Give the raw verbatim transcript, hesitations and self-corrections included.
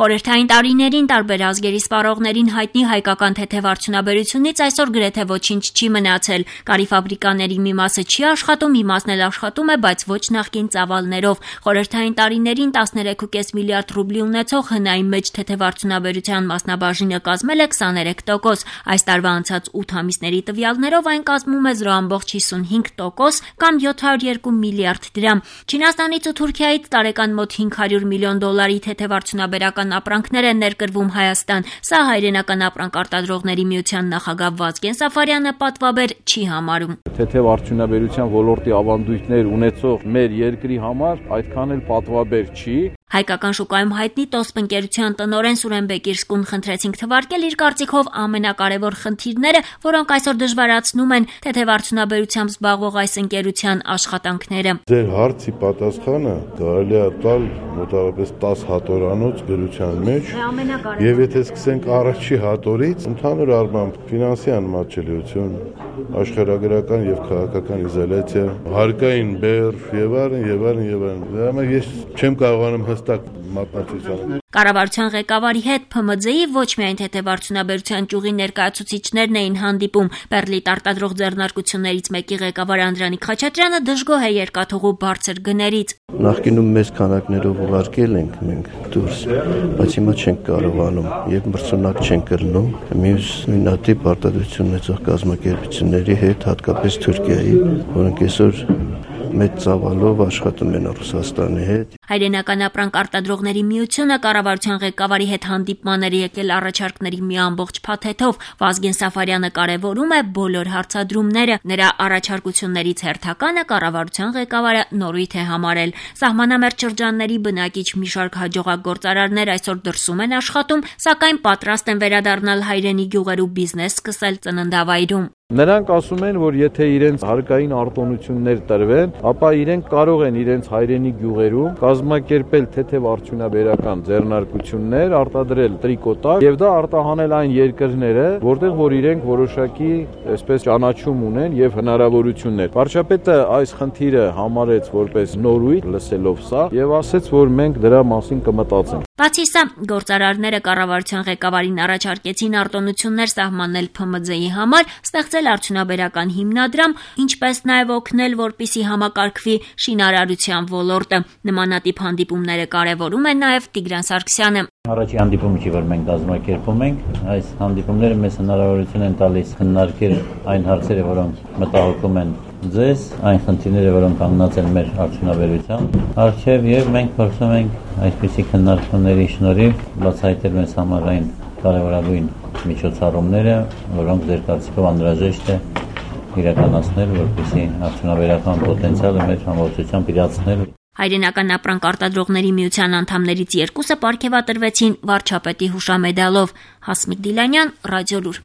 Խորհրդային տարիներին տարբեր ազգերի սպառողներին հայտնի հայկական թեթև արդյունաբերությունից այսօր գրեթե ոչինչ չի մնացել։ Կարի ֆաբրիկաների մի մասը չի աշխատում, մի մասն էլ աշխատում է, բայց ոչ նախկին ծավալներով։ Խորհրդային տարիներին տասներեք կես միլիարդ ռուբլի ունեցող հնային մեջ թեթև արդյունաբերության մասնաբաժինը կազմել է քսաներեք տոկոս։ Այս տարվա անցած ութ ամիսների տվյալներով այն կազմում է զրո ամբողջ հիսունհինգ տոկոս կամ յոթ հարյուր երկու միլիարդ դրամ։ Չինաստանից ու Թուրքիայից տարեկան մոտ հինգ հարյուր միլիոն դոլարի թեթև արդյունաբերական ապրանքներ են ներկրվում Հայաստան։ Սա հայրենական ապրանք արտադրողների միության նախագահ Վազգեն Սաֆարյանը պատվաբեր չի համարում։ Թեթև արդյունաբերության ոլորտի ավանդույթներ ունեցող մեր երկրի համար այդքան էլ պատվաբեր չի։ Հայկական շուկայում հայտնի տոսպ ընկերության տնօրեն Սուրեն Բեկիրսկուն խնդրեցինք թվարկել իր կարծիքով ամենակարևոր խնդիրները, որոնք այսօր դժվարացնում են թեթև արդյունաբերությամբ զբաղվող այս ընկերության աշխատանքները։ Ձեր հարցի պատասխանը կարելի է տալ մոտավորապես տասը հատորանոց գրության մեջ, եւ եթե սկսենք առաջի հատորից, ընդհանուր առմամբ ֆինանսի անմատչելիություն, աշխարհագրական եւ քաղաքական իզոլյացիա, հարկային բեռ եւ այլն եւ այլն եւ այլն։ Դա համար ես չեմ կարողանում հստակ մատնացույց Կառավարության ղեկավարի հետ Փ Մ Ձ-ի ոչ միայն թեթև արդյունաբերության ճյուղի ներկայացուցիչներն էին հանդիպում։ Բեռլիտ արտադրող ձեռնարկություններից մեկի ղեկավար Անդրանիկ Խաչատրյանը դժգոհ է երկաթուղու բարձր գներից։ Նախկինում մեծ քանակներով ուղարկել ենք մենք դուրս, բայց հիմա չենք կարողանում եւ մրցունակ չենք կրնում մյուս նույնատիպ արտադրություն ունեցող կազմակերպությունների հետ, հատկապես Թուրքիայի, որոնք այսօր մեծ ծավալով աշխատում են Ռուսաստանի հետ։ Հայրենական ապրանք արտադրողների միությունը կառավարության ղեկավարի հետ հանդիպման էր եկել առաջարկների մի ամբողջ փաթեթով։ Վազգեն Սաֆարյանը կարևորում է բոլոր հարցադրումները։ Նրա առաջարկություններից հերթականը կառավարության ղեկավարը նորույթ է համարել։ Սահմանամերձ շրջանների բնակիչ մի շարք հաջողակ գործարարներ այսօր դրսում են աշխատում, սակայն պատրաստ են վերադառնալ հայրենի գյուղեր ու բիզնես սկսել ծննդավայրում։ Նրանք ասում են, որ եթե իրենց հարկային արտոնություններ տրվեն, ապա իրենք կարող են իրենց հայրենի գյուղերում կազմակերպել թեթև արդյունաբերական ձեռնարկություններ, արտադրել տրիկոտակ եւ դա արտահանել այն երկրները, որտեղ որ իրենք որոշակի այսպես ճանաչում ունեն եւ հնարավորություններ։ Վարչապետը այս խնդիրը համարեց որպես նորույթ, լսելով սա եւ ասեց, որ մենք դրա մասին կմտածենք։ Բացի սա, գործարարները կառավարության ղեկավարին առաջարկեցին արտոնություններ սահմանել Փ Մ Ձ-ի համար, ստեղծել արդյունաբերական հիմնադրամ, ինչպես նաև օգնել, որպիսի համակարգվի շինարարության ոլորտը։ Նմանատիպ հանդիպումները կարևորում է նաև Տիգրան Սարգսյանը։ Առաջի հանդիպումը չի, որ մենք կազմակերպում ենք, այս հանդիպումները մեզ հնարավորություն են տալիս քննարկել այն հարցերը, որոնք մտահոգում են ձեզ, այն խնդիրները, որոնք կանգնած են մեր արդյունաբերության առջև եւ մենք փորձում ենք այսպիսի քննարկումների շնորհիվ բացահայտել մեզ համար այն կարևորագույն միջոցառումները, որոնք ձեր կարծիքով անհրաժեշտ է իրականացնել, որպեսզի արդյունաբերական պոտենցիալը մեր համառությամբ իրացնել։ Հայրենական ապրանք արտադրողների միության անդամներից երկուսը պարգևատրվեցին վարչապետի հուշամեդալով։ Հասմիկ Դիլանյան, Ռադիոլուր։